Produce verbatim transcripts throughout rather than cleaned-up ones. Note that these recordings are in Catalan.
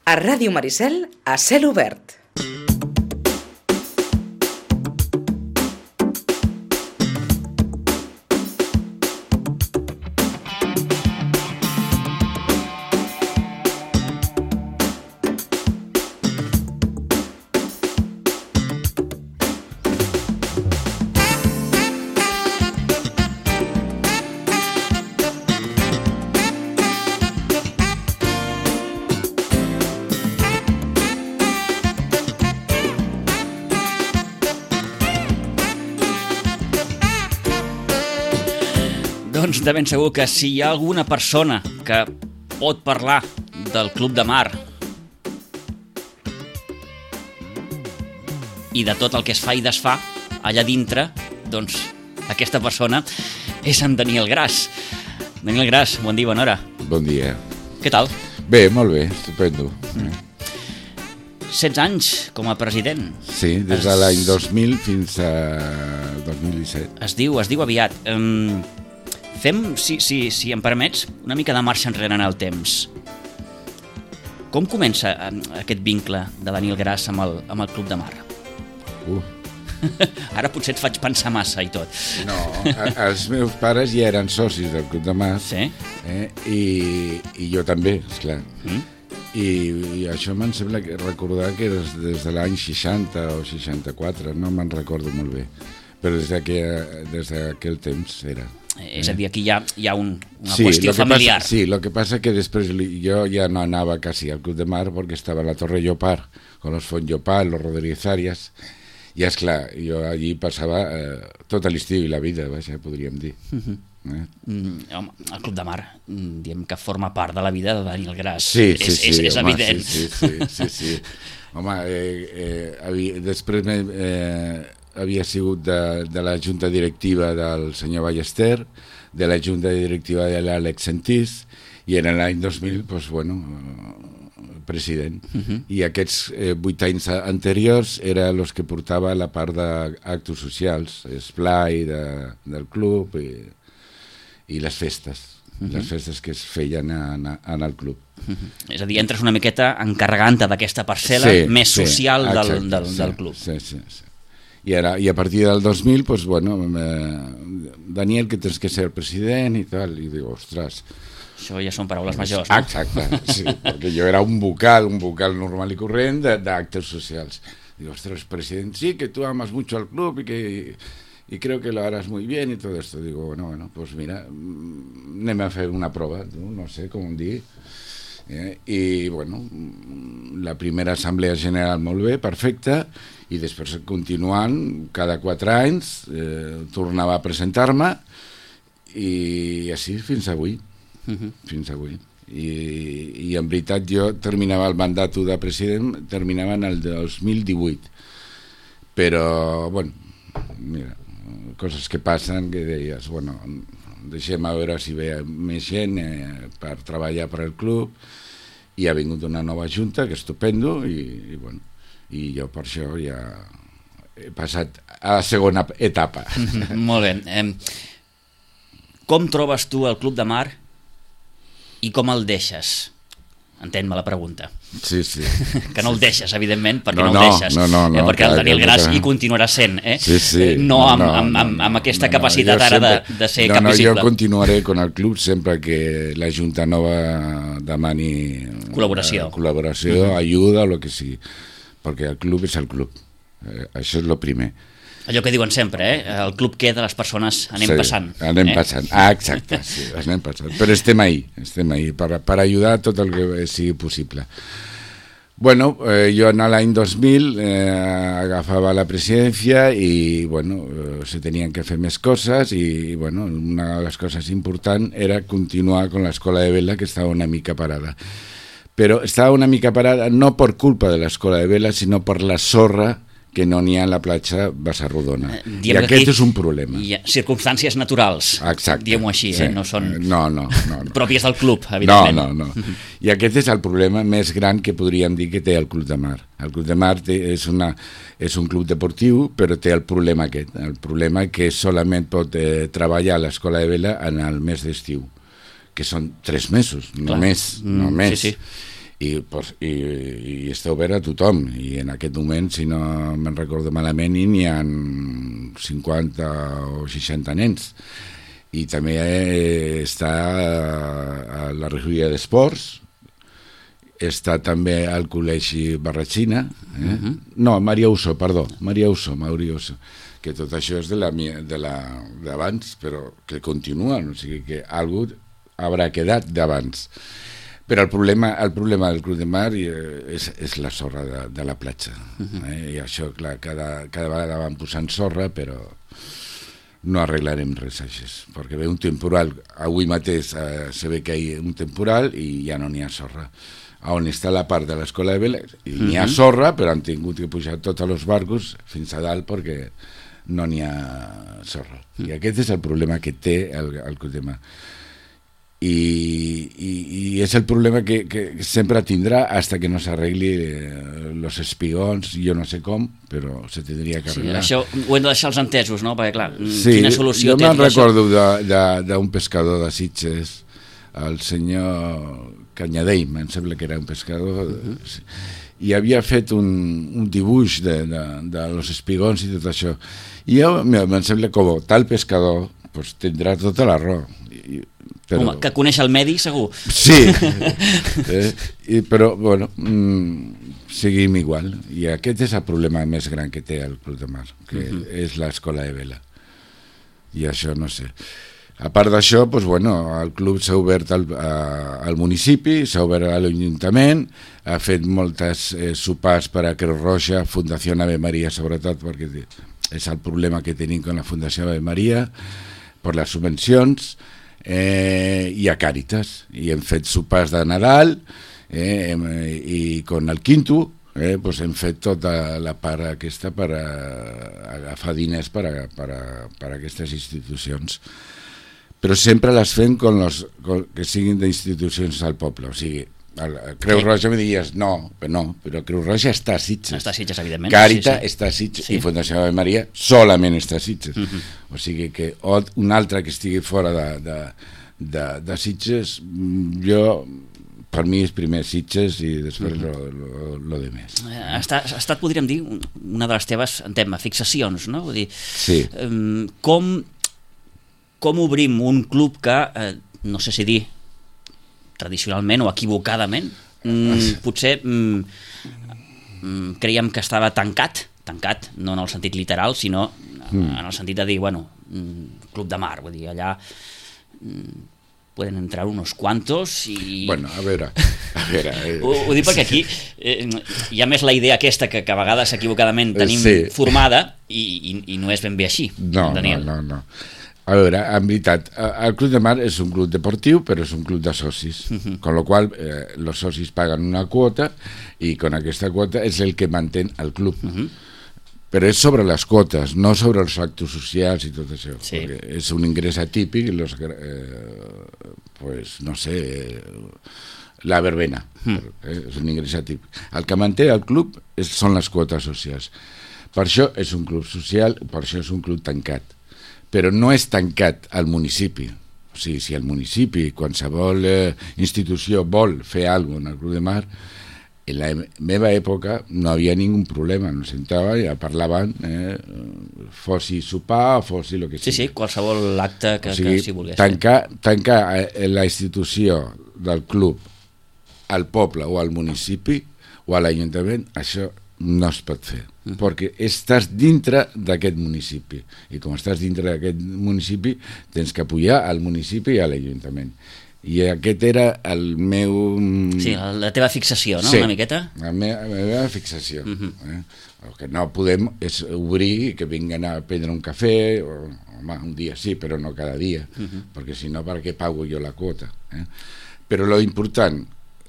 A Ràdio Maricel, a cel obert. Doncs de ben segur que si hi ha alguna persona que pot parlar del Club de Mar i de tot el que es fa i desfà allà dintre, doncs aquesta persona és en Daniel Gras. Daniel Gras, bon dia, bona hora. Bon dia. Què tal? Bé, molt bé, estupendo. Mm. setze anys com a president. Sí, des de l'any dos mil fins a dos mil disset. Es diu, es diu aviat. Um, fem, si, si, si em permets, una mica de marxa enrere en el temps. Com comença aquest vincle de Daniel Gras amb el, amb el Club de Mar? Uh. Ara potser et faig pensar massa i tot. No, a, els meus pares ja eren socis del Club de Mar. Sí? Eh, i, i jo també, esclar. Mm? I, i això me'n sembla que recordar que des, des de l'any seixanta o seixanta-quatre, no me'n recordo molt bé, però des d'aquell des d'aquell temps era. Eh, és a dir, aquí hi ha, hi ha un, una sí, qüestió familiar. Pasa, sí, lo que pasa que després jo ja no anava quasi al Club de Mar perquè estava a la Torre Llopart, con los Font Llopart, los Rodríguez Arias, i esclar, jo allí passava eh, tot l'estiu i la vida, vaja, podríem dir. Uh-huh. Eh? Mm, home, el Club de Mar, diem que forma part de la vida de Daniel Gras. Sí, sí, és, sí, és, és home, evident. Sí, sí, sí, sí, sí. Home, eh, eh, havia, després me, eh, havia sigut de, de la junta directiva del senyor Ballester, de la junta directiva de l'Àlex Sentís, i en l'any dos mil, doncs, bueno, president. Uh-huh. I aquests eh, vuit anys anteriors eren els que portava la part d'actes socials, esplai de, del club i, i les festes, uh-huh. les festes que es feien en, en el club. Uh-huh. És a dir, entres una miqueta encarregant-te d'aquesta parcel·la sí, més social sí, del, del, sí, del club. Sí, sí, sí. I, ara, i a partir del dos mil, pues, bueno, eh, Daniel, que tens que ser el president i tal, i dic, ostres... Això ja són paraules majors, no? Exacte, sí, perquè jo era un vocal, un vocal normal i corrent d'actes socials. Digo, ostres, presidente, sí, que tú amas mucho al club y que y creo que lo harás muy bien y todo esto. Digo, bueno, bueno, pues mira, anem a fer una prova, no, no sé com dir. Eh? I, bueno, la primera assemblea general molt bé, perfecta, i després continuant, cada quatre anys, eh, tornava a presentar-me, i així fins avui. Uh-huh. Fins avui. I, i en veritat jo terminava el mandat de president, terminava en el dos mil divuit, però bueno, mira, coses que passen que deies, bueno, deixem a veure si ve més gent eh, per treballar per al club, i ha vingut una nova junta que és estupendo, i, i bueno, i jo per això ja he passat a la segona etapa. Uh-huh. Molt bé. Eh, com trobes tu el Club de Mar i com el deixes? Entén-me la pregunta. Sí, sí. Que no el deixes, evidentment, perquè no, no, no el deixes. No, no, no, eh, perquè clar, el Daniel Gras que... hi continuarà sent, eh? Sí, sí. No, no, amb, no, amb, amb, amb aquesta no, capacitat no, ara sempre... de, de ser no, cap no, visible. Jo continuaré con el club sempre que la Junta Nova demani col·laboració, eh, col·laboració, uh-huh. ajuda, o el que sigui, perquè el club és el club. Eh, això és el primer. Allò que diuen sempre, eh? El club queda, les persones anem sí, passant. anem eh? passant, ah, exacte, sí, anem passant. Però estem ahí, estem ahí, per, per ajudar tot el que sigui possible. Bueno, eh, jo en l'any dos mil eh, agafava la presidència i, bueno, eh, se tenien que fer més coses i, bueno, una de les coses importants era continuar con l'escola de vela, que estava una mica parada. Però estava una mica parada no per culpa de l'escola de vela, sinó per la sorra que no n'hi ha a la platja Bassarrodona. Eh, I aquest és un problema. Hi ha circumstàncies naturals, diguem-ho així, sí. eh? no són no, no, no, no. pròpies del club, evidentment. No, no, no. I aquest és el problema més gran que podríem dir que té el Club de Mar. El Club de Mar té, és, una, és un club deportiu, però té el problema aquest, el problema que solament pot eh, treballar a l'escola de vela en el mes d'estiu, que són tres mesos, Clar. només, mm, només. Sí, sí. i, pues, i, i està obert a tothom, i en aquest moment, si no me'n recordo malament, n'hi ha cinquanta o seixanta nens, i també està a la regidoria d'esports, està també al col·legi Barratxina, eh? uh-huh. no, Maria Uso, perdó, Maria Uso, Maria Uso, que tot això és de la de la d'abans, però que continua, o sigui que algú haurà quedat d'abans. Però el problema, el problema del Club de Mar és, és la sorra de, de la platja. Uh-huh. eh? I això, clar, cada, cada vegada van posant sorra, però no arreglarem res així, perquè ve un temporal, avui mateix eh, se ve que hi ha un temporal i ja no n'hi ha sorra. On està la part de l'escola de vela, i uh-huh. n'hi ha sorra, però han tingut que pujar tots els barcos fins a dalt perquè no n'hi ha sorra. Uh-huh. I aquest és el problema que té el, el Club de Mar. I, i, i és el problema que, que sempre tindrà hasta que no s'arregli eh, los espigons, jo no sé com, però se tindria que arreglar. Sí, això ho hem de deixar els entesos, no? Perquè, clar, sí, quina solució jo té? Jo me'n recordo d'un pescador de Sitges, el senyor Canyadell, em sembla que era un pescador, uh-huh. i havia fet un, un dibuix de, de, de los espigons i tot això. I jo em sembla que com tal pescador pues, tindrà tota la raó. I, però... Home, que coneix el medi, segur. Sí, eh, i, però, bueno, mm, seguim igual. I aquest és el problema més gran que té el Club de Mar, que uh-huh. és l'escola de vela. I això no sé. A part d'això, doncs, bueno, el club s'ha obert al, a, al municipi, s'ha obert a l'Ajuntament, ha fet moltes eh, sopars per a Creu Roja, Fundació Ave Maria, sobretot, perquè és el problema que tenim amb la Fundació Ave Maria, per les subvencions, eh, i a Càritas. I hem fet sopars de Nadal, eh, i con el Quinto, eh, pues hem fet tota la part aquesta per a, a agafar diners per a, per a, per a aquestes institucions. Però sempre les fem con los, con, que siguin d'institucions al poble, o sigui, el, el Creu sí. Roja me diries, no, però no, però Creu Roja està a Sitges. Està a Sitges, evidentment. Càritas sí, sí. està a Sitges, sí. I Fundació Ave Maria solament està a Sitges. Uh-huh. O sigui que un altre que estigui fora de, de, de, de Sitges, jo, per mi és primer Sitges i després uh-huh. lo, lo, lo de més. Ha estat, ha estat, podríem dir, una de les teves, en tema, fixacions, no? Vull dir, sí. Um, com... com obrim un club que, eh, no sé si dir, tradicionalment o equivocadament, mm, potser mm, creiem que estava tancat, tancat, no en el sentit literal, sinó mm. en el sentit de dir, bueno, Club de Mar, vull dir, allà mm, poden entrar unos cuantos i... Bueno, a veure... A veure eh... ho, ho dic perquè aquí eh, hi ha més la idea aquesta que, que a vegades equivocadament tenim sí. formada i, i, i no és ben bé així, no, Daniel. No, no, no. A veure, en veritat, el Club de Mar és un club deportiu, però és un club de socis, uh-huh. con lo qual eh, los socis paguen una quota i con aquesta quota és el que mantén el club. Uh-huh. Però és sobre les quotes, no sobre els actes socials i tot això. Sí. Perquè és un ingrés atípic, los, eh, pues, no sé, eh, la verbena, uh-huh. eh, és un ingrés atípic. El que manté el club és, són les quotes socials. Per això és un club social, per això és un club tancat. Però no és tancat al municipi. O sigui, si el municipi, qualsevol eh, institució vol fer alguna cosa en el Club de Mar, en la meva època no hi havia ningú problema, no sentava i ja parlaven, eh, fossi sopar o fossi el que sigui. Sí, sí, qualsevol acte que, o sigui, que s'hi volgués. Tancar, tancar la institució del club al poble o al municipi o a l'Ajuntament, això no es pot fer, uh-huh. perquè estàs dintre d'aquest municipi i com estàs dintre d'aquest municipi tens que apoyar al municipi i a l'Ajuntament, i aquest era el meu... Sí, la teva fixació, no? Sí, una miqueta? la meva, la meva fixació. Uh-huh. eh? El que no podem és obrir i que vinguin a prendre un cafè, o, home, un dia sí, però no cada dia, uh-huh. perquè si no, per què pago jo la quota? Eh? Però lo important,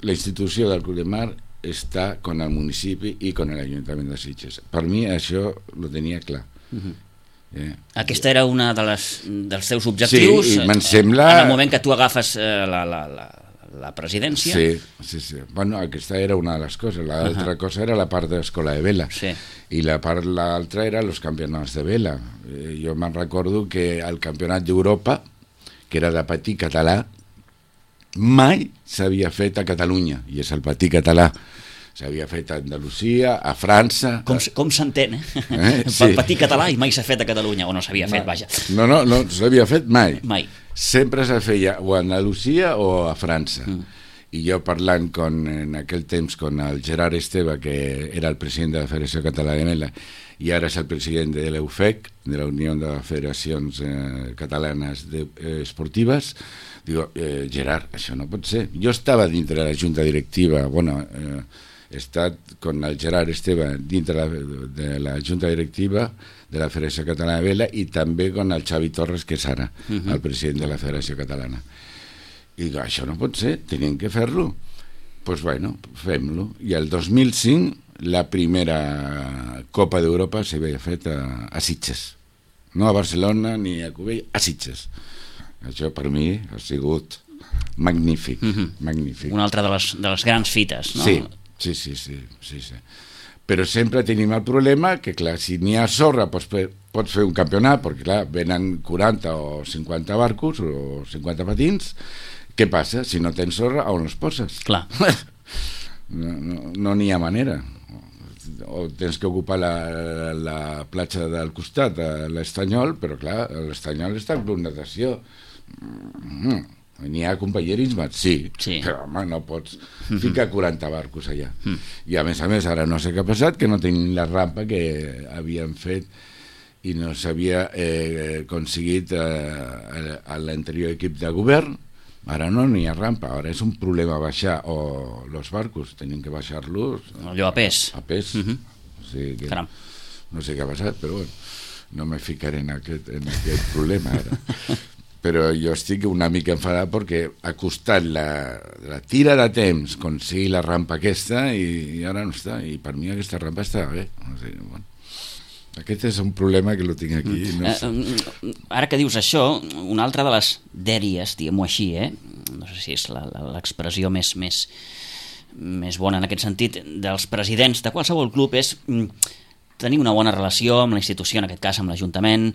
la institució del Club de Mar està con el municipi i con l'Ajuntament de Sitges. Per mi això ho tenia clar. Uh-huh. eh? Aquesta era una de les, dels teus objectius, sí, me'n sembla... en el moment que tu agafes eh, la, la, la, la presidència. Sí, sí, sí. Bueno, aquesta era una de les coses. L'altra uh-huh. cosa era la part de l'escola de vela. Sí. I la part l'altra era els campionats de vela. Eh, jo me'n recordo que el campionat d'Europa, que era de patí català, mai s'havia fet a Catalunya, i és el patí català. S'havia fet a Andalusia, a França... Com, com s'entén, eh? eh? Sí. Sí. Patí català i mai s'ha fet a Catalunya, o no s'havia fet, vaja. No, no, no s'havia fet mai. Mai. Sempre se feia o a Andalusia o a França. Mm. I jo parlant con, en aquell temps con el Gerard Esteve, que era el president de la Federació Catalana de Vela, i ara és el president de l'U F E C, de la Unió de Federacions eh, Catalanes de, eh, Esportives, digo, eh, Gerard, això no pot ser. Jo estava dintre de la junta directiva, bueno... Eh, he estat con el Gerard Esteve dintre de la, de la junta directiva de la Federació Catalana de Vela i també con el Xavi Torres, que és ara uh -huh. el president de la Federació Catalana. I dic, això no pot ser, tenim que fer-lo. Doncs pues bueno, fem-lo. I el dos mil cinc la primera Copa d'Europa s'havia fet a, a Sitges. No a Barcelona ni a Cubell, a Sitges. Això per mi ha sigut magnífic, uh -huh. magnífic. Una altra de les, de les grans fites, no? Sí. Sí, sí, sí, sí, sí. Però sempre tenim el problema que, clar, si n'hi ha sorra pots fer, pots fer un campionat, perquè, clar, venen quaranta o cinquanta barcos o cinquanta patins. Què passa? Si no tens sorra, on els poses? Clar. No n'hi no, no ha manera. O tens que ocupar la, la platja del costat, l'Estanyol, però, clar, l'Estanyol està en club natació. Mm. N'hi ha companyerisme, sí, sí, però home, no pots ficar quaranta barcos allà. Mm. I a més a més, ara no sé què ha passat, que no tenim la rampa que havien fet i no s'havia eh, aconseguit eh, a l'anterior equip de govern. Ara no n'hi ha rampa, ara és un problema baixar o els barcos, tenim que baixar-los allò a pes. A pes. Mm-hmm. O sigui que Caram. No sé què ha passat, però bueno, no me ficaré en aquest, en aquest problema ara. Però jo estic una mica enfadat perquè ha costat la, la tira de temps aconseguir la rampa aquesta i, i ara no està, i per mi aquesta rampa està bé. O sigui, bueno, aquest és un problema que lo tinc aquí. No sé. uh, ara que dius això, una altra de les dèries, diguem-ho així, eh? No sé si és l'expressió més, més, més bona en aquest sentit, dels presidents de qualsevol club és tenir una bona relació amb la institució, en aquest cas amb l'Ajuntament,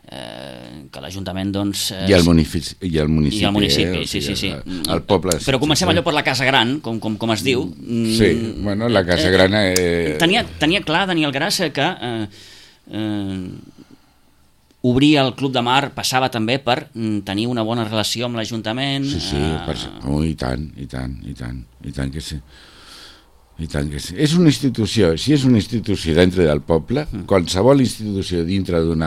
eh, que l'Ajuntament doncs... Eh, I el municipi, i el municipi, i el municipi eh? sí, sí, sí. El, el poble. Però comencem allò per la Casa Gran, com, com, com es diu. Sí, bueno, la Casa Gran... Eh... Tenia, tenia clar Daniel Grassa que eh, eh, obrir el Club de Mar passava també per tenir una bona relació amb l'Ajuntament. Sí, sí, eh... per... oh, i tant, i tant, i tant, i tant que sí. I tant que sí. És una institució, si és una institució dintre del poble, mm. qualsevol institució dintre d'un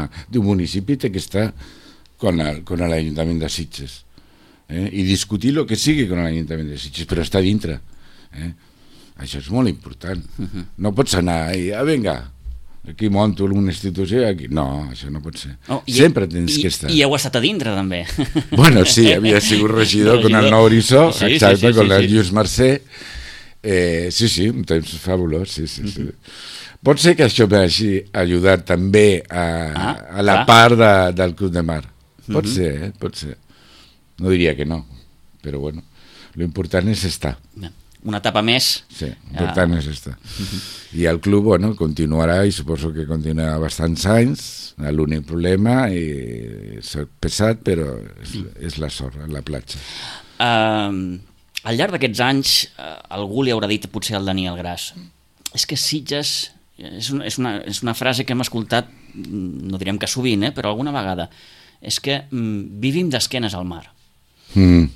municipi té que estar con l'Ajuntament de Sitges. Eh? I discutir el que sigui con l'Ajuntament de Sitges, però està dintre. Eh? Això és molt important. Mm-hmm. No pots anar i, ah, vinga, aquí monto una institució, aquí... No, això no pot ser. Oh, sempre tens i, que estar. I heu estat a dintre, també. Bueno, sí, havia sigut regidor, regidor. con el Nou Horitzó, sí, exacte, sí, sí, con sí, el sí. Lluís Mercè. Eh, sí, sí, un temps fabulós, sí, sí, sí. Mm-hmm. Pot ser que això m'hagi ajudat també a, ah, a la clar. part de, del Club de Mar. Pot mm-hmm. ser, eh? Pot ser. No diria que no, però bueno, l'important és estar. Una etapa més. Sí, l'important ah. és estar. Mm-hmm. I el club, bueno, continuarà i suposo que continuarà bastants anys. L'únic problema és pesat, però és, és la sorra, la platja. Uh... Al llarg d'aquests anys, eh, algú li haurà dit potser al Daniel Gras, és que Sitges, és una, és una, és una frase que hem escoltat, no direm que sovint, eh, però alguna vegada, és que mm, vivim d'esquenes al mar. Mm.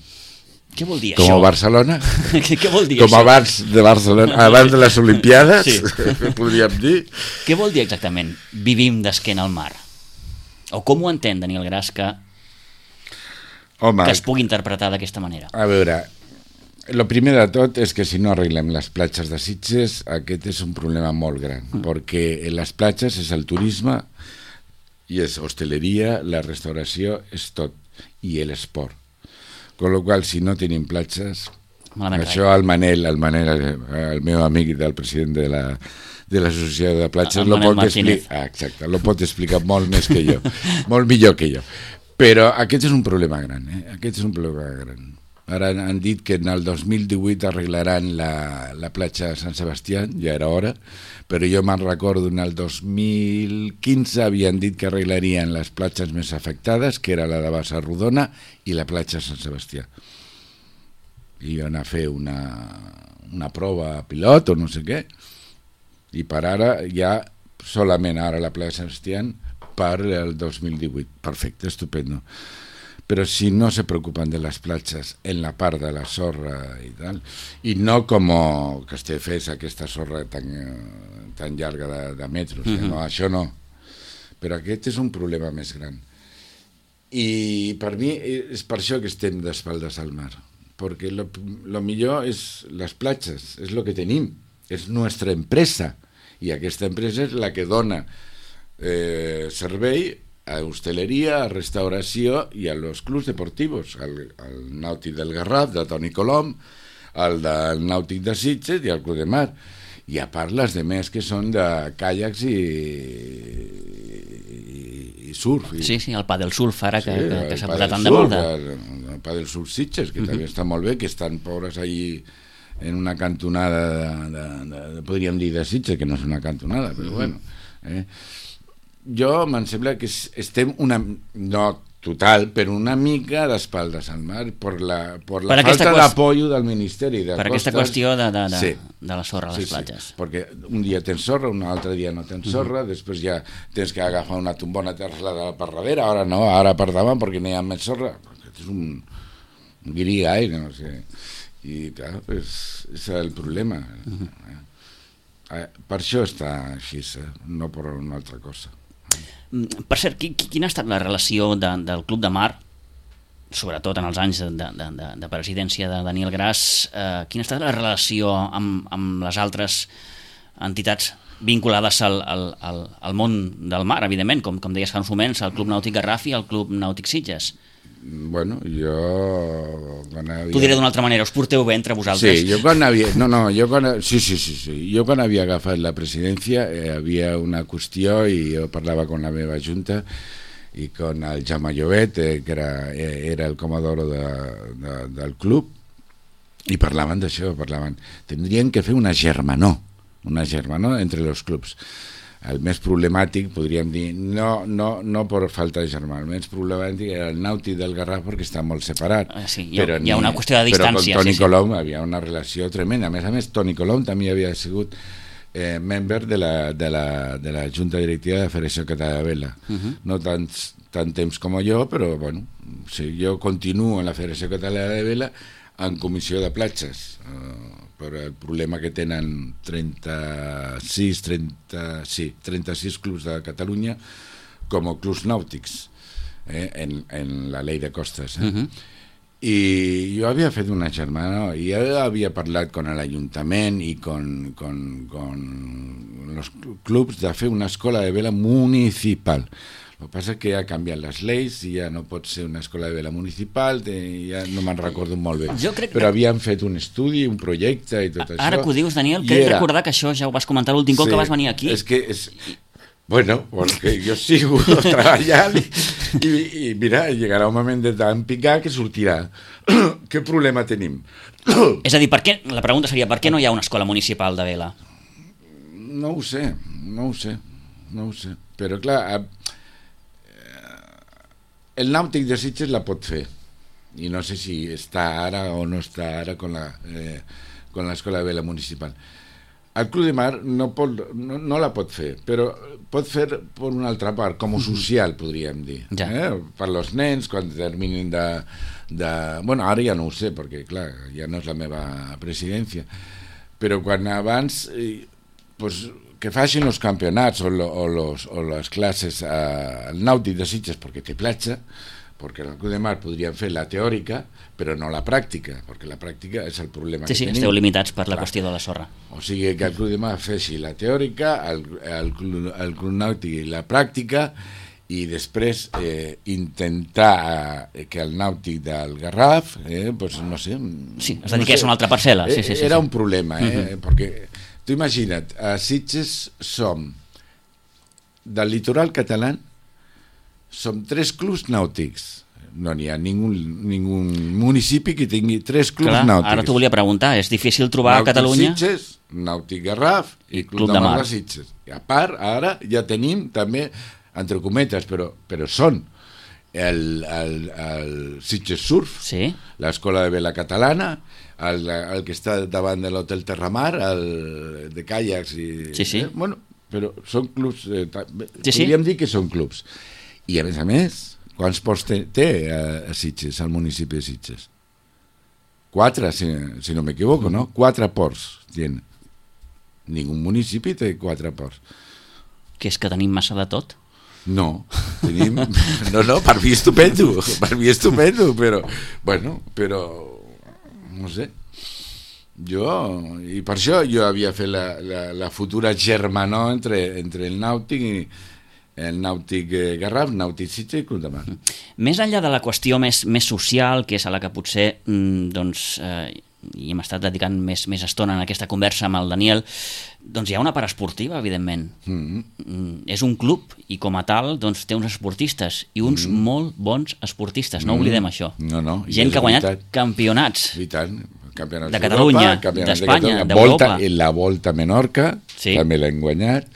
Què vol dir Com això? Com a Barcelona? Què vol dir Com això? Com abans de Barcelona, abans de les Olimpiades, sí. podríem dir. Què vol dir exactament vivim d'esquena al mar? O com ho entén Daniel Gras que, Home, que es pugui interpretar d'aquesta manera? A veure... El primer de tot és que si no arreglem les platges de Sitges, aquest és un problema molt gran, mm. perquè en les platges és el turisme i és hosteleria, la restauració, és tot, i l'esport. Con lo qual, si no tenim platges, malament això el Manel, el Manel, el meu amic del president de la de l'associació de platges, lo pot, explicar, ah, exacte, lo pot explicar molt més que jo, molt millor que jo. Però aquest és un problema gran, eh? Aquest és un problema gran. Ara han dit que en el dos mil divuit arreglaran la, la platja de Sant Sebastià, ja era hora, però jo me'n recordo en el dos mil quinze havien dit que arreglarien les platges més afectades, que era la de Bassa Rodona i la platja de Sant Sebastià. i van a fer una, una prova pilot o no sé què, i per ara ja solament ara la plaça Sebastián per el dos mil divuit. Perfecte, estupendo. Però si no se preocupan de les platges en la part de la sorra i tal, i no com Castelldefels, aquesta sorra tan, tan llarga de, de metros, uh-huh. eh? No, això no. Però aquest és un problema més gran. I per mi és per això que estem d'espaldes al mar, perquè lo, lo millor és les platges, és el que tenim, és nostra empresa, i aquesta empresa és la que dona eh, servei a hosteleria, a restauració i a los clubs deportivos, al, al Nàutic del Garraf, de Toni Colom, al del Nàutic de Sitges i al Club de Mar. I a part les demés que són de caiacs i, i, i surf. I... Sí, sí, el Padel Surf ara que, sí, que, que s'ha Padel posat tan de moda. El, el Padel Surf Sitges, que uh-huh. també està molt bé, que estan pobres allí en una cantonada, de, de, de, de, podríem dir de Sitges, que no és una cantonada, però uh-huh. bueno... Eh? Jo me'n sembla que estem una, no total, però una mica d'espaldes al mar per la, per la per falta qüest... d'apoyo del Ministeri de per Costes. Aquesta qüestió de, de, de, sí. de la sorra a les sí, platges. Sí, perquè un dia tens sorra, un altre dia no tens sorra, uh-huh. després ja tens que agafar una tombona terçada per darrere, ara no, ara per davant perquè no hi ha més sorra. Aquest és un, un guirigall, no sé. I clar, és, és el problema. Uh-huh. Eh, per això està així, eh? No per una altra cosa. Per cert, quina ha estat la relació de, del Club de Mar, sobretot en els anys de, de, de, de presidència de Daniel Gras, eh, quina ha estat la relació amb, amb les altres entitats vinculades al, al, al, al món del mar, evidentment, com, com deies fa uns moments, el Club Nàutic Garraf i el Club Nàutic Sitges? Bueno, jo... Havia... T'ho diré d'una altra manera, us porteu bé entre vosaltres? Sí, jo quan havia... No, no, jo quan... Sí, sí, sí, sí. Jo quan havia agafat la presidència eh, havia una qüestió i jo parlava amb la meva junta i con el Jaume Llobet, eh, que era, eh, era el comodoro de, de, del club, i parlaven d'això, parlaven... Tindrien que fer una germanor, una germanor entre els clubs. El més problemàtic, podríem dir, no, no, no per falta de germà, el més problemàtic era el Nàutic del Garraf perquè està molt separat. Ah, sí, hi ha, però hi ha una qüestió de distància. Però amb Toni sí, Colom sí. havia una relació tremenda. A més a més, Toni Colom també havia sigut eh, membre de la, de, la, de la Junta Directiva de la Federació Catalana de Vela. Uh-huh. No tant, tant temps com jo, però bueno, sí, jo continuo en la Federació Catalana de Vela en comissió de platges. Uh, per el problema que tenen trenta-sis, trenta, sí, trenta-sis clubs de Catalunya com a clubs nàutics eh, en, en la llei de costes. Eh? Uh-huh. I jo havia fet una germana i jo havia parlat con l'Ajuntament i con, con, con els clubs de fer una escola de vela municipal. El que passa és que ja han canviat les lleis i ja no pot ser una escola de vela municipal, ja no me'n recordo molt bé. Crec... Però havien fet un estudi, un projecte i tot Ara això. Ara que ho dius, Daniel, crec era... recordar que això ja ho vas comentar l'últim sí, cop que vas venir aquí. És que és... Bueno, perquè jo sigo treballant i, i, i mira, llegarà un moment de tant picar que sortirà. Què problema tenim? És a dir, per què, la pregunta seria per què no hi ha una escola municipal de vela? No ho sé, no ho sé, no ho sé. Però clar, el Nàutic de Sitges la pot fer i no sé si està ara o no està ara con la eh, con l'escola de vela municipal. El Club de Mar no, pot, no, no la pot fer, però pot fer per una altra part, com a social, podríem dir. Ja. Eh? Per als nens, quan terminin de, de... Bueno, ara ja no ho sé, perquè, clar, ja no és la meva presidència, però quan abans... Eh, pues, que facin els campionats o, lo, o, los, o les classes al eh, Nàutic de Sitges perquè té platja, perquè el Club de Mar podrien fer la teòrica però no la pràctica, perquè la pràctica és el problema sí, que sí, tenim. Esteu limitats per la Clar. Qüestió de la sorra. O sigui que el Club de Mar feixi la teòrica, el, el, el Club Nàutic la pràctica i després eh, intentar eh, que el Nàutic del Garraf eh, pues, no sé, sí, es dediqués no sé, a una altra parcel·la sí, sí, sí, era sí. un problema eh, uh-huh. perquè tu imagina't, a Sitges som del litoral català som tres clubs nàutics, no n'hi ha ningú, ningú municipi que tingui tres clubs Clar, nàutics. Ara t'ho volia preguntar, és difícil trobar Nàutic a Catalunya Sitges, Nàutic Garraf i Club, Club de, de Mar de Sitges. I a part, ara ja tenim també, entre cometes, però, però són el, el, el Sitges Surf, Sí. l'escola de vela catalana, el, el que està davant de l'Hotel Terramar, el de caiacs i... Sí, sí. Eh, bueno, però són clubs... Eh, Sí, sí. podríem dir que són clubs. I a més a més, quants ports té, té a, a Sitges, al municipi de Sitges? Quatre, si, si no m'equivoco, no? Quatre ports tiene. Ningú municipi té quatre ports. Que és que tenim massa de tot. No, tenim... No, no, per mi estupendo, per mi estupendo, però, bueno, però, no sé, jo, i per això jo havia fet la, la, la futura germanor entre, entre el Nàutic i el Nàutic Garraf, Nàutic Sitges i Club de Mar. Més enllà de la qüestió més, més social, que és a la que potser mm, doncs, eh, i hem estat dedicant més, més estona en aquesta conversa amb el Daniel, doncs hi ha una part esportiva, evidentment. Mm-hmm. Mm, és un club i com a tal doncs, té uns esportistes i uns mm. molt bons esportistes, no mm. oblidem això. No, no, gent que ha guanyat veritat. campionats. I tant. Campionats De Catalunya, d'Espanya, d'Europa. I la Volta a Menorca, sí. també l'hem guanyat.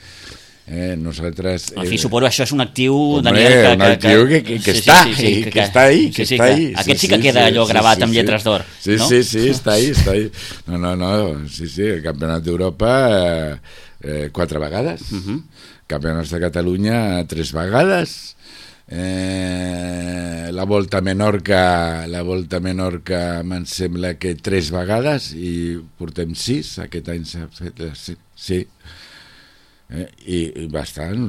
Eh, nosaltres... En fi, suposo que això és un actiu, Hombre, Daniel, que, un actiu que, que, que, sí, està, sí, sí, que, que està ahí, que sí, sí, està ahí. Que, aquest sí que queda allò gravat sí, amb lletres d'or, sí, no? Sí, sí, està ahí, està ahí. No, no, no, sí, sí, el Campionat d'Europa eh, eh, quatre vegades, uh -huh. Campionats de Catalunya tres vegades, eh, la Volta a Menorca, la Volta a Menorca me'n sembla que tres vegades i portem sis, aquest any s'ha fet, sí, sí. Eh, i, i bastant,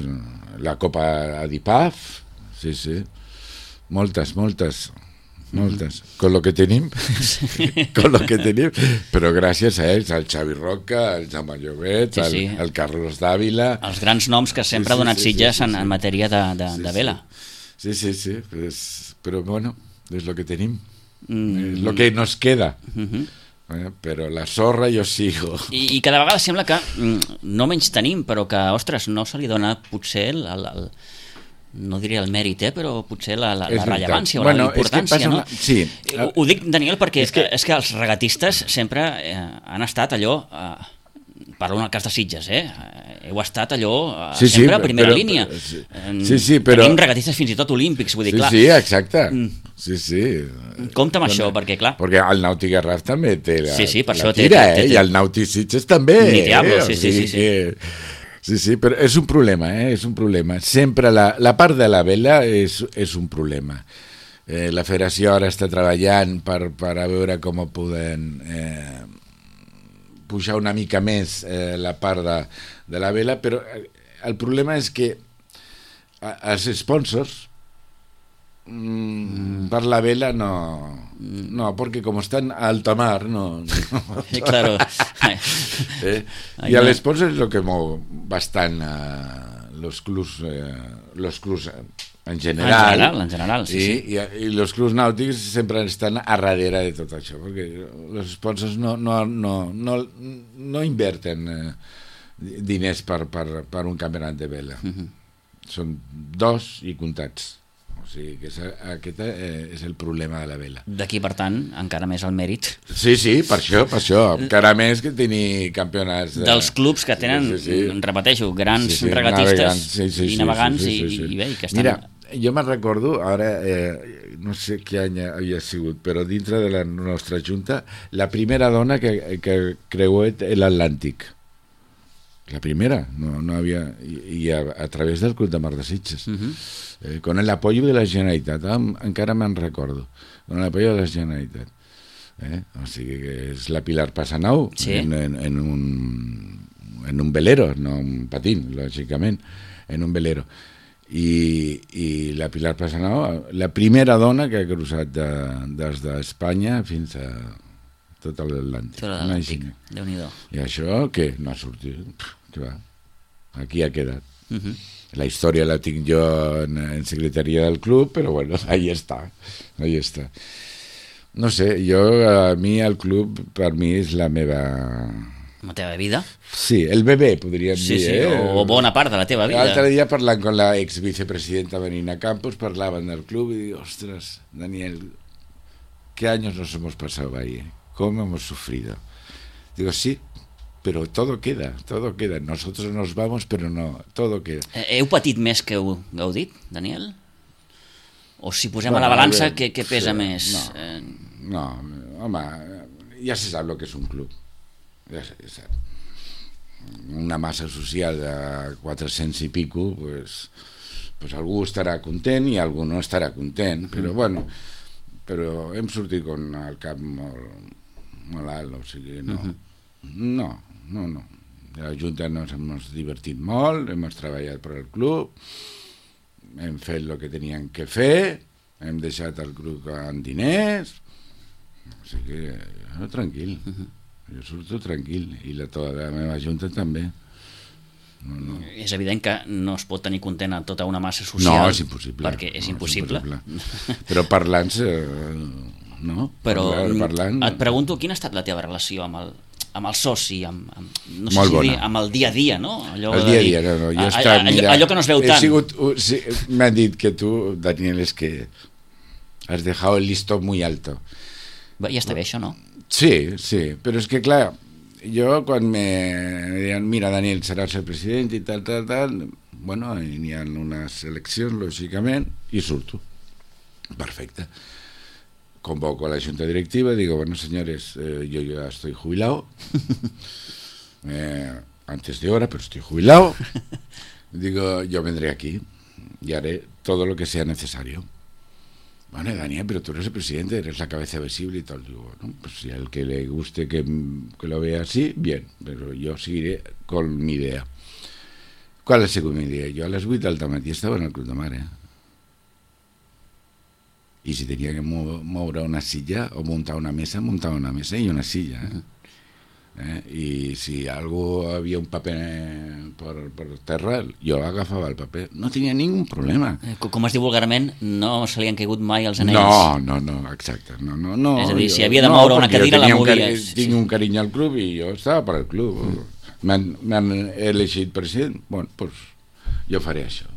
la Copa Adipaf, sí, sí, moltes, moltes, moltes, mm-hmm. con lo que tenim, con lo que tenim, però gràcies a ells, al Xavi Roca, al Jaume Llobet, sí, sí. Al, al Carlos Dávila... Els grans noms que sempre sí, sí, ha donat sí, Sitges sí, sí, sí. En, en matèria de, de, sí, de vela. Sí, sí, sí, pues, però bueno, és lo que tenim, mm. és lo que nos queda. Mm-hmm. Eh, però la sorra jo sigo. I, i cada vegada sembla que mm, no menys tenim, però que, ostres, no se li dona potser el, el, el no diria el mèrit, eh, però potser la, la, la rellevància o bueno, la importància, no? Una... Sí. Ho, ho dic, Daniel, perquè és que, és que els regatistes sempre eh, han estat allò... Eh, parlo en el cas de Sitges, eh? Heu estat allò eh, sí, sí, sempre a primera però, línia. Sí, sí, però... Tenim regatistes fins i tot olímpics, vull dir, sí, clar. Sí, exacte. Sí, sí. Compte amb això, perquè, clar... Perquè el Nàutic Garraf també té la, sí, sí, per la això tira, té, té, té, eh? I el Nàutic Sitges també. Ni diablo, eh? sí, sí, sí, sí. Que... Sí, sí, però és un problema, eh? És un problema. Sempre la, la part de la vela és, és un problema. Eh, la federació ara està treballant per, per a veure com poden... Eh, pujar una mica més eh, la part de, de la vela, però el problema és que els sponsors mm, per la vela no, no, perquè com estan a alta mar no, no. Claro. eh? I a l'esponsor és el que mou bastant eh, los clubs eh, los clubs en general, en general, en general sí, i, sí. I, i els clubs nàutics sempre estan a darrere de tot això, perquè els sponsors no, no, no, no, no inverten eh, diners per, per, per un campionat de vela. Uh-huh. Són dos i comptats. O sigui que és, aquest eh, és el problema de la vela. D'aquí, per tant, encara més el mèrit. Sí, sí, per això, per això. Encara més que tenir campionats... De... Dels clubs que tenen, sí, sí. repeteixo, grans sí, sí, regatistes navegants, sí, sí, i navegants sí, sí, sí, sí, sí. I, i bé, i que estan... Mira, jo me'n recordo, ara, eh, no sé què any havia sigut, però dintre de la nostra junta, la primera dona que, que creuet l'Atlàntic. La primera, no, no havia... I, i a, a través del Club de Mar de Sitges. Uh-huh. eh, con el apoyo de la Generalitat, eh, encara me'n recordo, con el apoyo de la Generalitat. Eh? O sigui que és la Pilar Passanau, sí. en, en, en, un, en un velero, no un patín, lògicament, en un velero. I, i la Pilar Passanau, la primera dona que ha cruzat de, des d'Espanya fins a tot l'Atlàntic. Tot l'Atlàntic, Déu-n'hi-do. I això, què? No ha sortit. Què va? Aquí ha quedat. Uh-huh. La història la tinc jo en, en secretaria del club, però bueno, ahí està. Ahí està. No sé, jo, a mi el club, per mi és la meva... La teva vida? Sí, el bebè, podríem sí, dir. Sí, eh? o bona part de la teva vida. L'altre dia parlant amb la ex-vicepresidenta Benina Campos, parlaven del club y digo, ostras, Daniel, ¿qué años nos hemos pasado ahí? Eh? ¿Cómo hemos sufrido? Digo, sí, pero todo queda, todo queda. Nosotros nos vamos, pero no, todo queda. Heu patit més que heu gaudit, Daniel? O si posem Bueno, a la balança, bé, què, què pesa sí, més? no. Eh, No, home, ja se sap el que és un club. Ja se sap. Una massa social de quatre-cents i pico, pues, pues algú estarà content i algú no estarà content, però mm. bueno, però hem sortit con el cap molt, molt alt, o sigui, no, mm-hmm. no, no, no. La Junta nos hem divertit molt, hem treballat per al club, hem fet el que teníem que fer, hem deixat el club amb diners, o sigui que jo tranquil, mm-hmm. jo surto tranquil, i la, tota la meva Junta també. No, no. És evident que no es pot tenir content a tota una massa social. No, és impossible. Perquè és no, impossible. És impossible. Però parlant, eh, no? Però parlant, parlant, et pregunto, quina ha estat la teva relació amb el, amb el soci, amb, amb, no sé Molt si bona. dir, amb el dia a dia, no? Allò el de dia a dir, dia, no, no. Jo a, he estat, a, mira, allò que no es veu he tant. Sigut, uh, sí, m'han dit que tu, Daniel, és que has dejado el listón muy alto. Bé, ja està bé això, no? Sí, sí, però és que clar, jo quan me deien, mira Daniel, seràs el president i tal, tal, tal, bueno, n'hi ha unes eleccions, lògicament, i surto. Perfecte. Convoco a la junta directiva, digo, bueno, señores, eh, yo ya estoy jubilado, eh, antes de hora, pero estoy jubilado, digo, yo vendré aquí y haré todo lo que sea necesario. Bueno, Daniel, pero tú eres el presidente, eres la cabeza visible y tal. Digo, bueno, pues si al que le guste que, que lo vea así, bien, pero yo seguiré con mi idea. ¿Cuál es mi idea? Yo a las vuit del matí estava en el Club de Mar, eh? I si tenia que moure una silla o muntar una mesa, muntava una mesa i una silla, eh? Eh? I si algú havia un paper per, per terra, jo agafava el paper, no tenia ningú problema. Com es diu vulgarment, no se li han caigut mai els anells. No, no, no, exacte, no, no, no. És a dir, jo, si havia de moure no, una cadira la movies. Un tinc sí. un carinyo al club i jo estava per al club. Mm. M'han elegit president, bueno, doncs pues, jo faré això.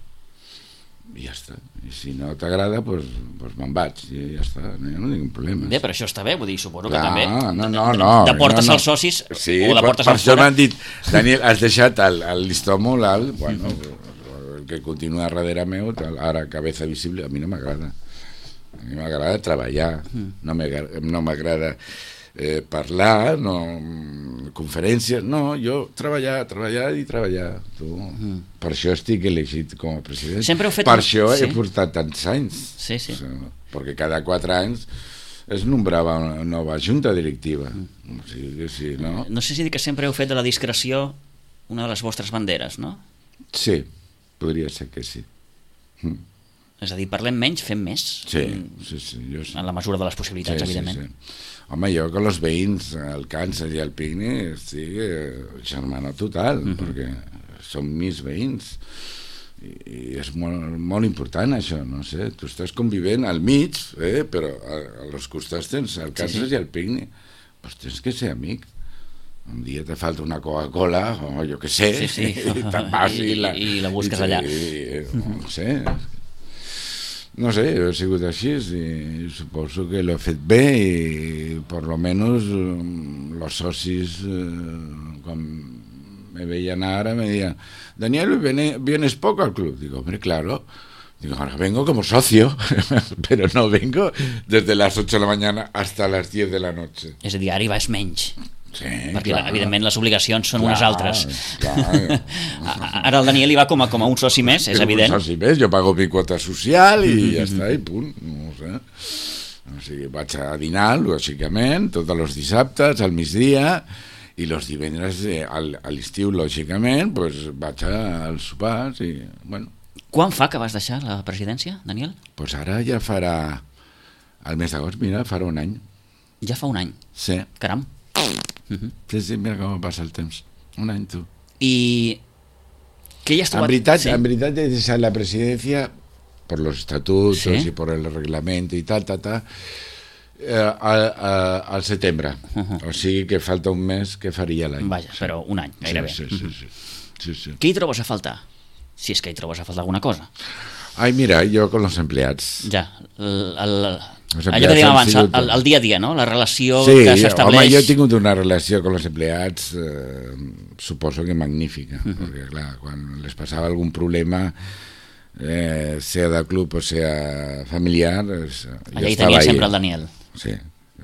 I ja està. I si no t'agrada, doncs pues, pues me'n vaig i ja està, no, no tinc problema. Bé, però això està bé, vull dir, suposo Clar, que també no, no, no, de portes no, no. als socis sí, o de per, portes per als això fora. m'han dit, Daniel, has deixat el, el listó molt alt, bueno, el que continua darrere meu, tal, ara cabeza visible, a mi no m'agrada. A mi m'agrada treballar, no m'agrada eh, parlar, no, conferències, no, jo treballar, treballar i treballar. Tu. Mm. Per això estic elegit com a president. Sempre heu fet... Per això sí. he portat tants anys. Sí, sí. O sigui, perquè cada quatre anys es nombrava una nova junta directiva. Mm. O sigui, sí, no? no sé si dir que sempre heu fet de la discreció una de les vostres banderes, no? Sí, podria ser que sí. Mm. És a dir, parlem menys, fem més. Sí, sí, sí. Jo sí. En la mesura de les possibilitats, sí, evidentment. Sí, sí. Home, jo con los veïns, el Càncer i el Picni, estic eh, germano total, mm-hmm. perquè són mis veïns. I, i és molt, molt important això, no sé, tu estàs convivent al mig, eh, però a, a los costats tens el Càncer sí, sí. i el Picni. Pues tens que ser amic. Un dia te falta una Coca-Cola, o jo què sé, sí, sí. i te'n vas i, I, la, i la busques i, allà. I, no sé, no sé, he sigut així i suposo que l'he fet bé i per lo menos los socis eh, quan me veien ara me diuen, Daniel, ¿vienes poco al club? Digo, hombre, claro. Digo, ahora vengo como socio, pero no vengo desde las ocho de la mañana hasta las diez de la noche. És a dir, ara hi vas menys. Sí, perquè clar. Evidentment les obligacions són clar, unes altres. Clar. Ara el Daniel hi va com a, com a un soci més, és evident. Un soci més, jo pago mi quota social i mm-hmm. ja està, i punt. No sé. O sigui, vaig a dinar, lògicament, tots els dissabtes, al migdia, i els divendres a l'estiu, lògicament, pues, vaig als sopars i, bueno. Quan fa que vas deixar la presidència, Daniel? Pues ara ja farà, al mes d'agost, mira, farà un any. Ja fa un any? Sí. Caram. Uh-huh. Sí, sí, mira com passa el temps. Un any, tu. I què hi has trobat? En veritat, sí. en veritat he deixat la presidència per los estatutos ¿sí? y por el reglamento y tal, tal, tal, eh, al, al setembre. Uh-huh. O sigui que falta un mes que faria l'any. Vaja, sí. Però un any, gairebé. Sí, sí, sí, sí. sí, sí. Què hi trobes a faltar? Si és que hi trobes a faltar alguna cosa. Ai, mira, jo con los empleats. Ja, el, el, allò que dèiem abans, sigut... el, el dia a dia, no? La relació sí, que s'estableix... Home, jo he tingut una relació con los empleats, eh, suposo que magnífica, uh-huh. perquè, clar, quan les passava algun problema, eh, sea del club o sea familiar. Es, allà hi tenia sempre el Daniel. Sí,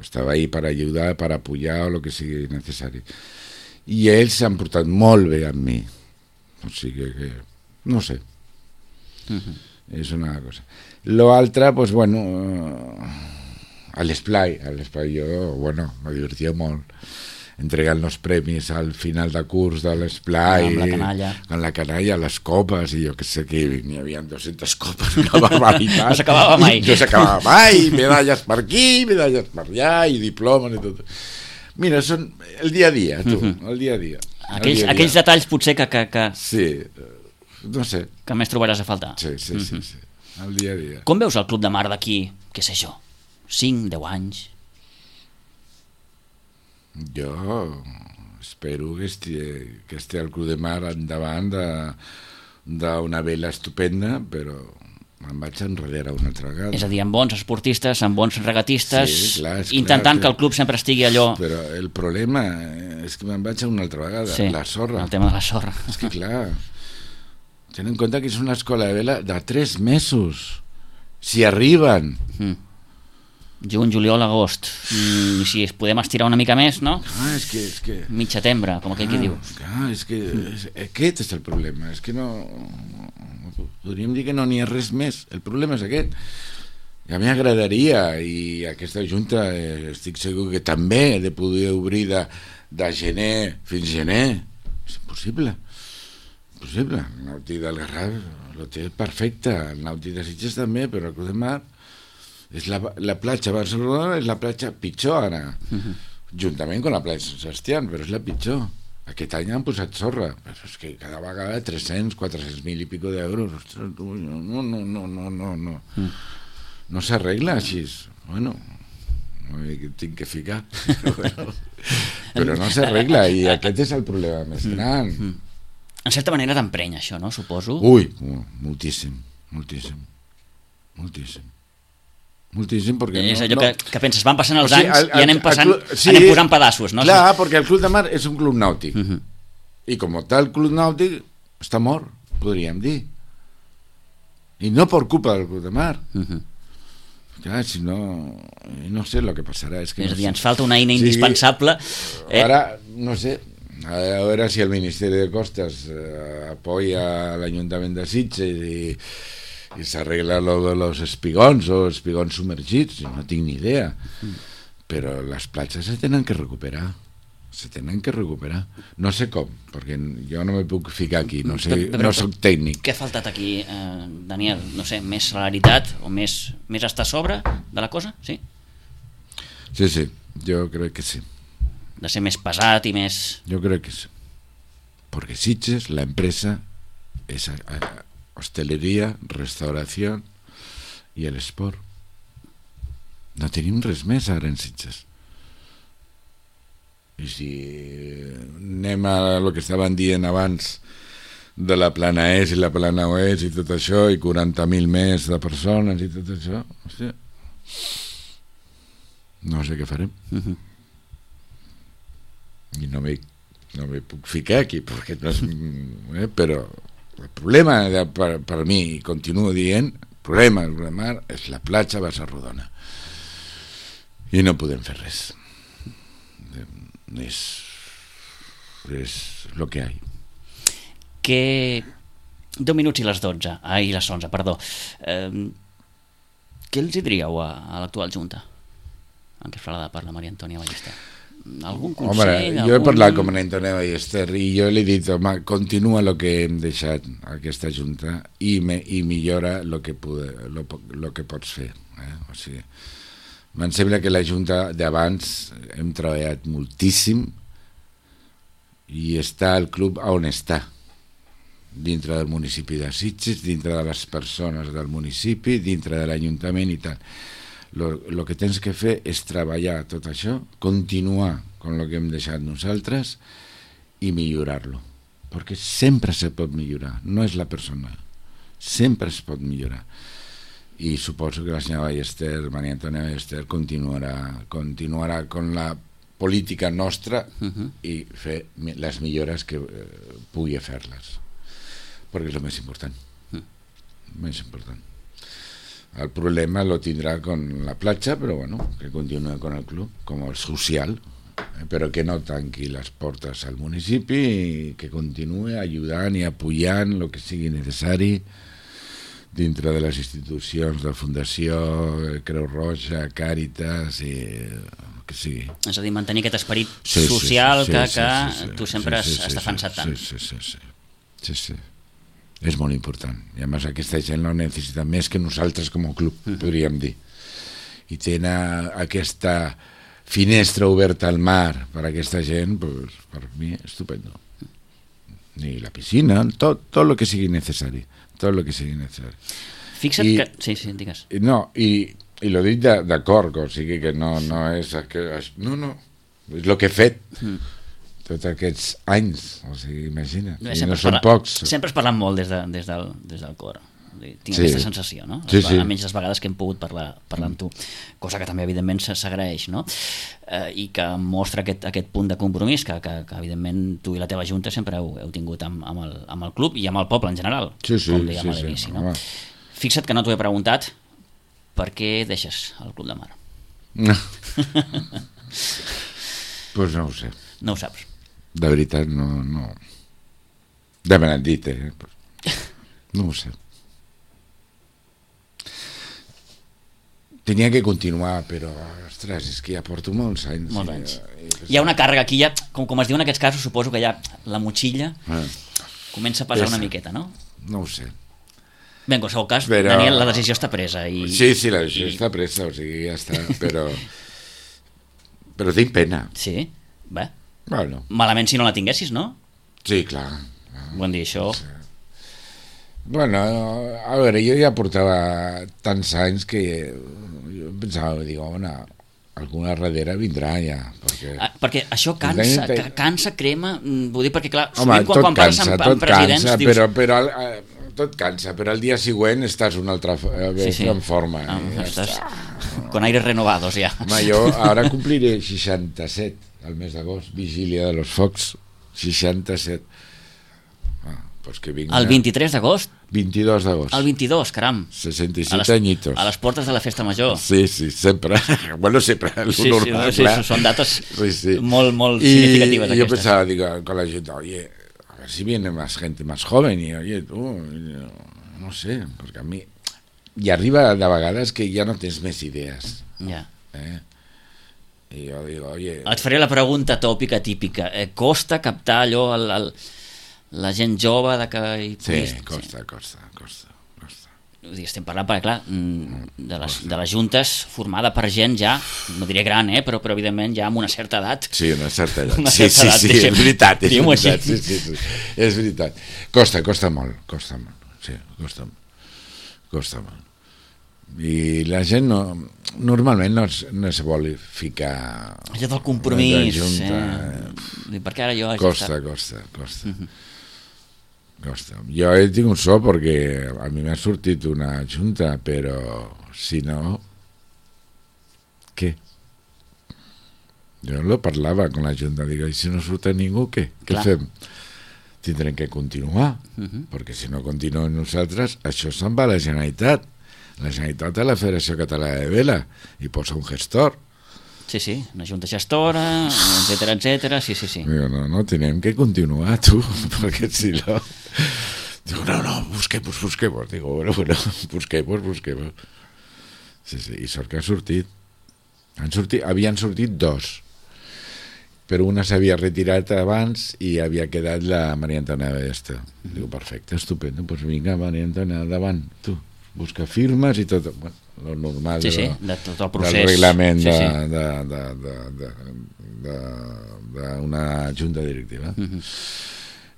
estava ahí per ajudar, per apoyar o el que sigui necessari. I ells s'han portat molt bé amb mi. O sigui que, no sé, uh-huh. És una cosa. Lo altre, pues bueno, a l'esplai, a l'esplai jo, bueno, me divertia molt. Entregant los premis al final de curs de l'esplai, amb la canalla, amb la canalla, les copes, i jo que sé que n'hi havia dues-centes copes, una barbaritat. No s'acabava mai. No s'acabava mai, medalles per aquí, medalles per allà, i diplomes i tot. Mira, són el dia a dia, tu, uh-huh. el dia a dia. Aquells, dia a dia. aquells detalls potser que, que, que... Sí, no sé. Que més trobaràs a faltar. Sí, sí, uh-huh. sí, sí, el dia a dia. Com veus el Club de Mar d'aquí, què sé jo, cinc, deu anys? Jo espero que estigui, que estigui el Club de Mar endavant d'una vela estupenda, però me'n vaig enrere una altra vegada. És a dir, amb bons esportistes, amb bons regatistes, sí, clar, intentant clar, que el club sempre estigui allò... Però el problema és que me'n vaig a una altra vegada, sí, la sorra. El tema de la sorra. És que clar, ten en compte que és una escola de vela de tres mesos, si arriben... Mm. Juny, juliol, agost. Mm, I si es podem estirar una mica més, no? Ah, és que... És que... Mig setembre, com aquell ah, que dius. Clar, és que és, aquest és el problema. És que no... Podríem dir que no n'hi ha res més. El problema és aquest. I a mi m'agradaria, i aquesta junta eh, estic segur que també, de poder obrir de, de gener fins gener. És impossible. Impossible. El Nàutic del Garraf lo té perfecte. El Nàutic de Sitges també, però el Club de Mar... És la, la platja a Barcelona és la platja pitjor ara, uh-huh. juntament amb la platja Sant Sebastián, però és la pitjor. Aquest any han posat sorra, però és que cada vegada tres-cents, quatre-cents mil i pico d'euros. Ostres, no, no, no, no, no, no, no. Uh. No s'arregla així. Bueno, no tinc que ficar. Però, però no s'arregla, i aquest és el problema més gran. Uh. En certa manera t'emprenya això, no? Suposo. Ui, moltíssim, moltíssim, moltíssim. Moltíssim, perquè és no, allò no... que, que penses, van passant els o sigui, anys el, el, i anem, passant, el club, sí, anem posant pedaços, no? Clar, perquè el Club de Mar és un club nàutic, uh-huh. i com tal club nàutic està mort, podríem dir, i no per culpa del Club de Mar. Uh-huh. Clar, si no no sé el que passarà, és que és no a dir, sé. ens falta una eina indispensable. Sí, ara, no sé, a veure si el Ministeri de Costes eh, apoya l'Ajuntament de Sitges i i s'arregla lo de los espigons o espigons submergits, no tinc ni idea, mm. però les platges se tenen que recuperar, se tenen que recuperar, no sé com, perquè jo no me puc ficar aquí, no sé, però, però, no soc tècnic. Què ha faltat aquí, eh, Daniel? No sé, més celeritat o més, més estar a sobre de la cosa, sí? Sí, sí, jo crec que sí. De ser més pesat i més... Jo crec que sí, perquè Sitges, la empresa, és a, a, hosteleria, restauració i l'esport. No tenim res més ara en Sitges. I si anem a el que estaven dient abans de la plana est i la plana oest i tot això, i quaranta mil més de persones i tot això, hòstia, no sé què farem. Uh-huh. I no me, no me puc ficar aquí, perquè no és... Eh, però el problema de, per, per mi, i continuo dient, el problema del Mar és la platja Bassa Rodona, i no podem fer res. És és el que hi ha. Que deu minuts i les dotze, ai, les onze, perdó. Eh, què els hi diríeu a, a l'actual Junta, encapçalada per la Maria Antònia Ballester? Algun consell? Home, jo he parlat amb Antònia Ballester i jo li he dit, home, continua el que hem deixat aquesta Junta i, me, i millora el que, lo, lo que pots fer. Eh? O sigui, em sembla que la Junta d'abans hem treballat moltíssim i està el club on està, dintre del municipi de Sitges, dintre de les persones del municipi, dintre de l'Ajuntament i tal. El que tens que fer és treballar tot això, continuar amb el que hem deixat nosaltres i millorar-lo, perquè sempre se pot millorar, no és la persona, sempre es pot millorar. I suposo que la senyora Ballester, Maria Antònia Ballester, continuarà, continuarà amb la política nostra uh-huh. i fer les millores que eh, pugui fer-les, perquè és el més important. Uh-huh. més important. El problema lo tindrà con la platja, però bueno, que continua con el club, com el social, eh, però que no tanqui les portes al municipi i que continuï ajudant i apoyant el que sigui necessari dintre de les institucions de Fundació, Creu Roja, Càritas i el que sigui. És a dir, mantenir aquest esperit sí, social sí, sí, que, sí, que sí, sí, sí, tu sempre sí, sí, has sí, defensat tant. Sí, sí, sí, sí. sí, sí. És molt important. I a més aquesta gent no necessita més que nosaltres com a club, uh-huh. podríem dir. I tenen aquesta finestra oberta al mar per a aquesta gent, pues, per mi, estupendo. I la piscina, tot, tot el que sigui necessari. Tot el que sigui necessari. Fixa't I, que... Sí, sí, digues. No, i, i lo dic d'acord, o sigui que no, no és... Que, no, no, és el que he fet. Mm. Tots aquests anys, o sigui, imagina't, i no són parla, pocs. Sempre has parlat molt des, de, des, del, des del cor. Tinc sí. aquesta sensació, no? Sí, sí. Almenys les vegades que hem pogut parlar, parlar amb tu, cosa que també evidentment s'agraeix, no? Eh, i que mostra aquest, aquest punt de compromís que, que, que evidentment tu i la teva junta sempre heu, heu tingut amb, amb, el, amb el club i amb el poble en general, sí, sí, com dèiem sí, a l'inici, sí, no? home. Fixa't que no t'ho he preguntat, per què deixes el Club de Mar? No. Pues no ho sé. No ho saps. De veritat, no... no. De me l'han dit, eh? No ho sé. Tenia que continuar, però, ostres, és que ja porto molts anys. Molts anys. I, i, hi ha una càrrega aquí, ja, com, com es diu en aquests casos, suposo que ja la motxilla ah. comença a pesar Pesa. una miqueta, no? No ho sé. Bé, en qualsevol cas, però... Daniel, la decisió està presa. I... Sí, sí, la decisió i... està presa, o sigui, ja està, però... però tinc pena. Sí? Bé. Bueno. Malament si no la tinguessis, no? Sí, clar. Vull dir, això... Sí. Bueno, a veure, jo ja portava tants anys que jo pensava, dic, home, alguna darrere vindrà ja. Perquè, ah, perquè això cansa, te... cansa, crema, vull dir, perquè clar, home, sovint quan, quan parles cansa, amb, amb presidents cansa, dius... Però, però, eh, tot cansa, però el dia següent estàs una altra eh, sí, sí. en forma. Ah, ja estàs està. Con aires renovados ja. Home, jo ara compliré seixanta-set al mes d'agost, vigília de los focs, seixanta-set. Ah, pues que vinga. El vint-i-tres d'agost? vint-i-dos d'agost. El vint-i-dos, caram. seixanta-set añitos. A les portes de la festa major. Sí, sí, sempre. Bueno, sempre, el sí, normal, sí, clar. sí, són dates sí, sí. molt, molt y, significatives y yo aquestes. pensaba, digo, con la gente, oye, a ver si viene más gente más joven, y oye, tú, no sé, porque a mí... I arriba de vegades que ja no tens més idees. Ja. Eh? I jo digo, oye... Et faré la pregunta tòpica típica. Eh, costa captar allò, el, el, la gent jove de que... Hi sí, puguis... costa, sí. costa, costa, costa. Vull dir, estem parlant, perquè clar, de les, de les juntes formada per gent ja, no diré gran, eh, però, però evidentment ja amb una certa edat. Sí, una certa edat. Una sí, certa sí, edat, sí, deixem, és veritat, és veritat. Sí, sí, sí, sí, és veritat. Costa, costa molt, costa molt. Sí, costa molt. Costa molt. I la gent no, normalment no, es, no es vol ficar... Allò del compromís, junta, eh? Perquè ara jo... Costa, estat... costa, costa. Uh-huh. Costa. Jo he tingut sort perquè a mi m'ha sortit una junta, però si no... Què? Jo no parlava amb la junta, dic, i si no surt ningú, què? Què Clar. fem? Tindrem que continuar, uh-huh. perquè si no continuem nosaltres, això se'n va a la Generalitat. La Generalitat a la Federació Catalana de Vela i posa un gestor. Sí, sí, una junta gestora, etcètera, etcètera, sí, sí, sí. Digo, no, no, tenem que continuar, tu, perquè si no... Digo, no, no, busquemos, busquemos. Digo, bueno, bueno, busquemos, busquemos. Sí, sí, i sort que ha sortit. Han sortit, havien sortit dos, però una s'havia retirat abans i havia quedat la Maria Antònia d'Esta. Mm-hmm. Digo, perfecte, estupendo, doncs pues vinga, Maria Antònia, davant, tu. Busca firmes i tot, bueno, lo normal sí, de, sí, la, de tot el procés. del reglament sí, sí. de, de, de, de, de, de, d'una junta directiva. Uh-huh.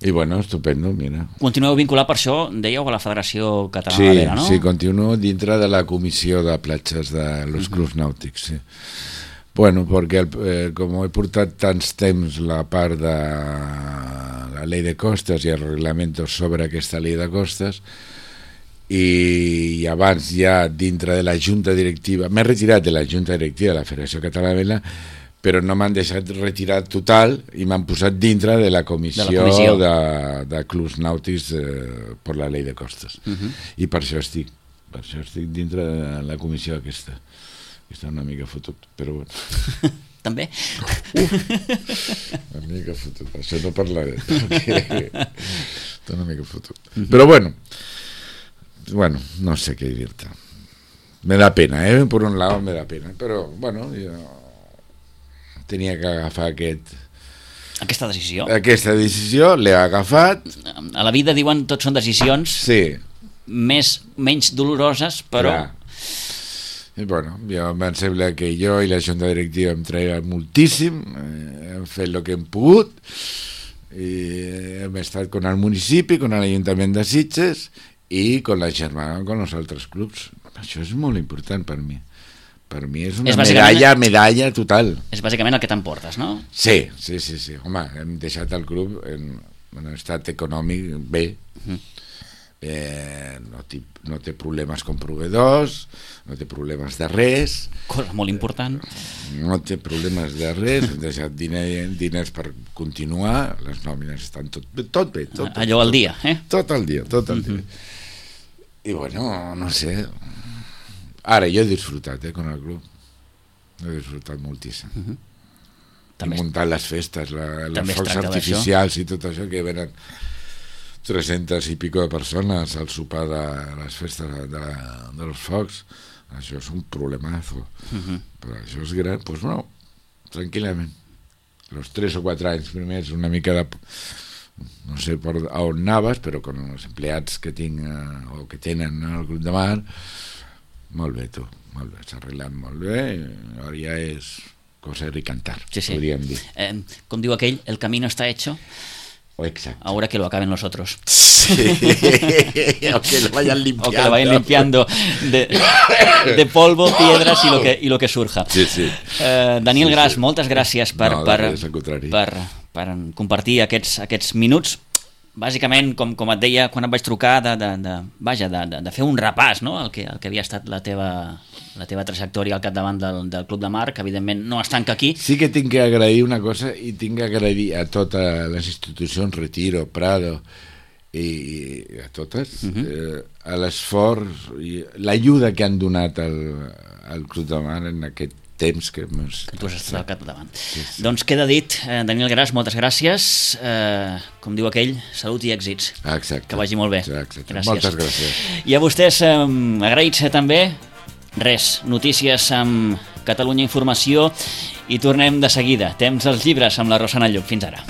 I bueno, estupendo, mira. Continueu vinculat per això, dèieu, a la Federació Catalana sí, de Vela, no? Sí, continuo dintre de la comissió de platges de los uh-huh. clubs nàutics, sí. Bueno, perquè el, eh, com he portat tants temps la part de la llei de costes i els reglaments sobre aquesta llei de costes, i abans ja dintre de la junta directiva, m'he retirat de la junta directiva de la Federació Catalana de Vela, però no m'han deixat retirar total i m'han posat dintre de la comissió de, la comissió. de, de clubs nàutics eh, per la llei de costes. Uh-huh. I per això estic, per això estic dintre de la comissió aquesta. Està una mica fotut, però bueno. També? Uf, una mica fotut, això no parlaré, perquè està una mica fotut. Uh-huh. Però bueno, bueno, no sé què dir-te. Me da pena, eh? Per un lado me da pena, però bueno, jo tenia que agafar aquest... Aquesta decisió. Aquesta decisió, l'he agafat. A la vida diuen tot són decisions sí. més, menys doloroses, però... Clar. I bueno, jo, em sembla que jo i la junta directiva hem treballat moltíssim, eh, hem fet el que hem pogut, i hem estat con el municipi, con l'Ajuntament de Sitges i con la germana, con els altres clubs. Això és molt important per mi. Per mi és una és medalla, medalla total. És bàsicament el que t'emportes, no? Sí, sí, sí, sí. Home, hem deixat el club en un estat econòmic bé. Uh-huh. eh, no, té, no té problemes com proveedors, no té problemes de res. Cosa molt important. No té problemes de res, hem deixat diner, diners per continuar, les nòmines estan tot bé, tot bé. Tot, tot, Allò al dia, eh? Tot el dia, tot el uh-huh. dia. I bueno, no sé... Ara, jo he disfrutat, eh, con el club. He disfrutat moltíssim. Uh-huh. I muntant les festes, la, les focs artificials d'això. I tot això, que venen tres-centes i pico de persones al sopar de les festes de, de, de los focs. Això és un problemazo. Uh-huh. Però això és gran, doncs pues no, tranquil·lament. Los tres o quatre anys primers, una mica de... No sé per on anaves, però con els empleats que tinc eh, o que tenen al Club de Mar... Molt bé, tu, molt bé, s'ha arreglat molt bé, ara ja és coser i cantar, sí, sí. podríem dir. Eh, com diu aquell, el camino está hecho, exacto. Ahora que lo acaben los otros. Sí, o que lo vayan limpiando. O que lo vayan limpiando de, de polvo, piedras y lo que, y lo que surja. Sí, sí. Eh, Daniel sí, Gras, sí. moltes gràcies per, no, per, per, per compartir aquests, aquests minuts. Bàsicament, com, com et deia quan et vaig trucar, de, de, de, vaja, de, de, de fer un repàs, no? el, que, el que havia estat la teva, la teva trajectòria al capdavant del, del Club de Mar, que evidentment no es tanca aquí. Sí que tinc que agrair una cosa, i tinc que agrair a totes les institucions, Retiro, Prado, i, i a totes, uh-huh. eh, a l'esforç i l'ajuda que han donat al, al Club de Mar en aquest temps que, que tu has estat al capdavant. Sí, sí. Doncs queda dit, eh, Daniel Gras, moltes gràcies. Eh, com diu aquell, salut i èxits. Exacte. Que vagi molt bé. Exacte. Gràcies. Moltes gràcies. I a vostès, eh, agraïts també. Res, notícies amb Catalunya Informació i tornem de seguida. Temps als llibres amb la Rosana Lluc. Fins ara.